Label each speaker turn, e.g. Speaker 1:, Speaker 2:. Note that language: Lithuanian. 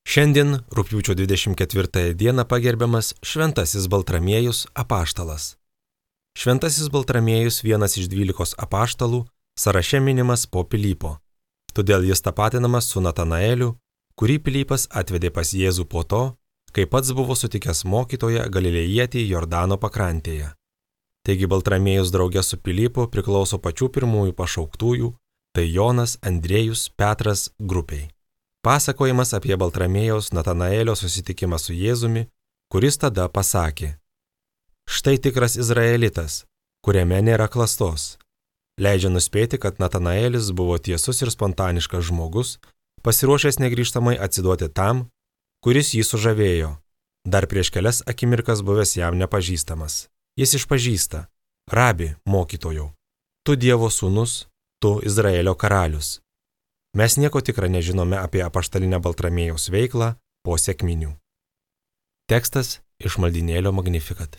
Speaker 1: Šiandien, rugpjūčio 24 dieną, pagerbiamas Šventasis Baltramiejus apaštalas. Šventasis Baltramiejus vienas iš 12 apaštalų, sąraše minimas po Pilypo. Todėl jis tapatinamas su Natanaeliu, kurį Pilypas atvedė pas Jėzų po to, kai pats buvo sutikęs mokytoją Galilėjietį Jordano pakrantėje. Taigi Baltramiejus drauge su Pilypu priklauso pačių pirmųjų pašauktųjų, tai Jonas, Andriejus, Petras grupiai. Pasakojimas apie Baltramiejaus Natanaelio susitikimą su Jėzumi, kuris tada pasakė: štai tikras izraelitas, kuriame nėra klastos. Leidžia nuspėti, kad Natanaelis buvo tiesus ir spontaniškas žmogus, pasiruošęs negrįžtamai atsiduoti tam, kuris jį sužavėjo, dar prieš kelias akimirkas buvęs jam nepažįstamas. Jis išpažįsta: Rabi, mokytojau, tu Dievo sūnus, tu Izraelio karalius. Mes nieko tikra nežinome apie apaštalinę Baltramiejaus veiklą po sekminių. Tekstas iš maldynėlio Magnificat.